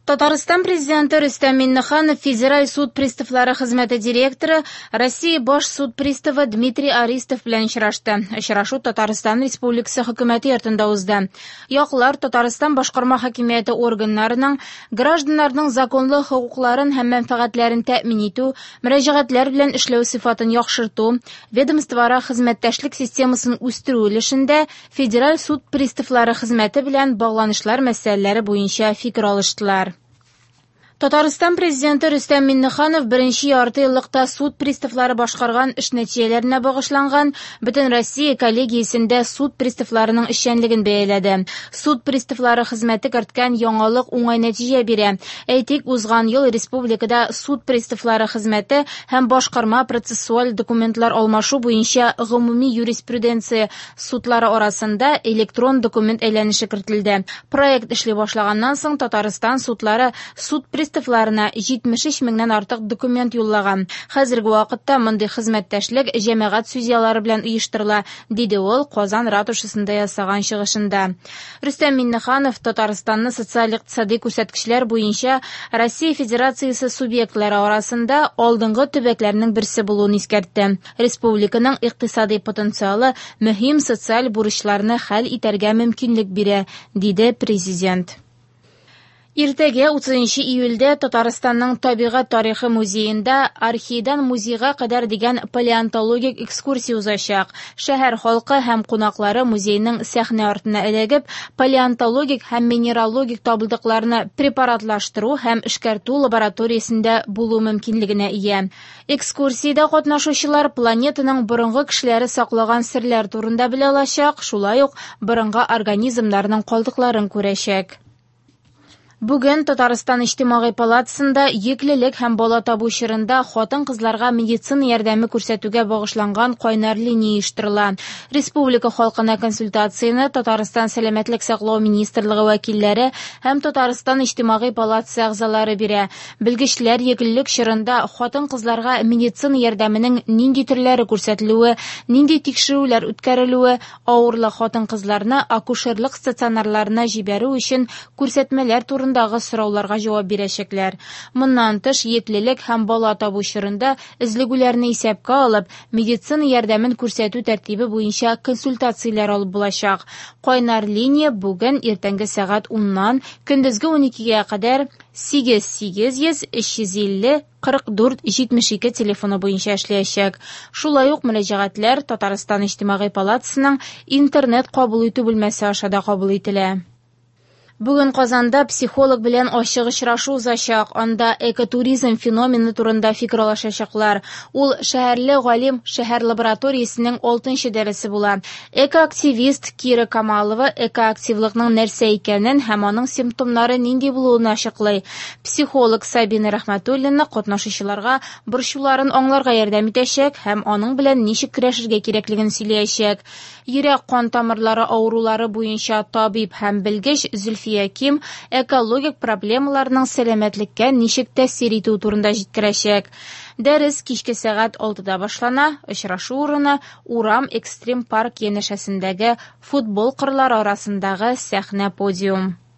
Татарстан Президенты Рөстәм Миңнеханов Федераль суд приставлары хезмәте директоры, Россия баш суд приставы Дмитрий Аристов белән очрашты. Очрашу Татарстан Республикасы Хөкүмәте йортында узды. Яклар Татарстан башкарма хакимияте органнарының гражданнарның законлы хокукларын һәм мәнфәгатьләрен тәэмин итү, мөрәҗәгатьләр белән эшләү сыйфатын яхшырту, ведомствоара хезмәттәшлек системасын үстерү өлешендә Федераль суд приставлары хезмәте белән багланышлар мәсьәләләре буенча фикер алыштылар. Татарстан Президенты Рөстәм Миңнеханов беренче ярты еллыкта суд приставлары башкарган эш нәтиҗәләренә багышланган Бөтенроссия коллегиясендә суд приставларының эшчәнлеген бәяләде. Суд приставлары хезмәте керткән яңалык уңай нәтиҗә бирә. Әйтик, узган ел республикада суд приставлары хезмәте һәм башкарма процессуаль документлар алмашу буенча гомуми юриспруденция судлары арасында электрон документ әйләнеше кертелде. Проект эшли башлаганнан соң Татарстан судлары суд приставларына 73 меңнән артык документ юллаган. Хәзерге вакытта мондый хезмәттәшлек җәмәгать судьялары белән оештырыла, диде ул Казан ратушасында ясаган чыгышында. Рөстәм Миңнеханов Татарстанны социаль-икътисади күрсәткечләр буенча Россия Федерациясе субъектлары арасында алдынгы төбәкләрнең берсе булуын искәртте. Республиканың икътисади потенциалы мөһим социаль бурычларны хәл итәргә мөмкинлек бирә, диде Президент. Иртәгә 30 июльдә Татарстанның табигать тарихы музеенда Архейдан музейга кадәр дигән палеонтологик экскурсия узачак. Шәһәр халкы һәм кунаклары музейның сәхнә артына эләгеп, палеонтологик һәм минералогик табылдыкларны препаратлаштыру һәм эшкәртү лабораториясендә булу мөмкинлегенә ия. Экскурсиядә катнашучылар планетаның борынгы кешеләре саклаган серләр турында белә алачак, шулай ук борынгы организмнарның калдыкларын күрәчәк. Бүген Татарстан Иҗтимагый палатасында йөклелек һәм бала табу чорында хатын-кызларга медицина ярдәме күрсәтүгә багышланган кайнар линия оештырыла. Республика халкына консультацияне Татарстан Сәламәтлек саклау министрлыгы вәкилләре һәм Татарстан Иҗтимагый палатасы әгъзалары бирә. Белгечләр йөклелек чорында хатын-кызларга медицина ярдәменең нинди төрләре күрсәтелүе, нинди тикшерүләр үткәрелүе, авырлы хатын-кызларны акушерлык стационарларына җибәрү өчен күрсәтмәләр турындагы сорауларга җавап бирәчәкләр. Моннан тыш, йөклелек һәм бала табу чорында өзлегүләрне исәпкә алып, медицина ярдәмен күрсәтү тәртибе буенча консультацияләр алып булачак. Кайнар линия бүген иртәнге сәгать 10-нан көндезге 12-гә кадәр 8 800 350 44 72 телефоны буенча эшләячәк. Шулай ук мөрәҗәгатьләр Татарстан Иҗтимагый палатасының интернет кабул итү бүлмәсе аша да кабул ителә. Бүген Казанда психолог белән ачык очрашу узачак. Анда экотуризм феномены турында фикер алышачаклар. Ул шәһәрле галим шәһәр лабораториясенең 6 дәресе була. Экоактивист Кира Камалова экоактивлыкның нәрсә икәнен һәм аның симптомнары нинди булуын ачыклый. Психолог Сабина Рәхмәтуллина катнашучыларга борчуларын аңларга ярдәм итәчәк һәм аның белән ничек көрәшергә кирәклеген сөйләячәк. Йөрәк-кан тамырлары авырулары буенча табиб һәм белгеч Зөлфия Ким экологик проблемаларның сәламәтлеккә ничек тәэсир итүе турында җиткерәчәк. Дәрес кичке сәгать 6-да башлана. Очрашу урыны Урам экстрим парк янәшәсендәге футбол кырлары арасындагы сәхнә подиум.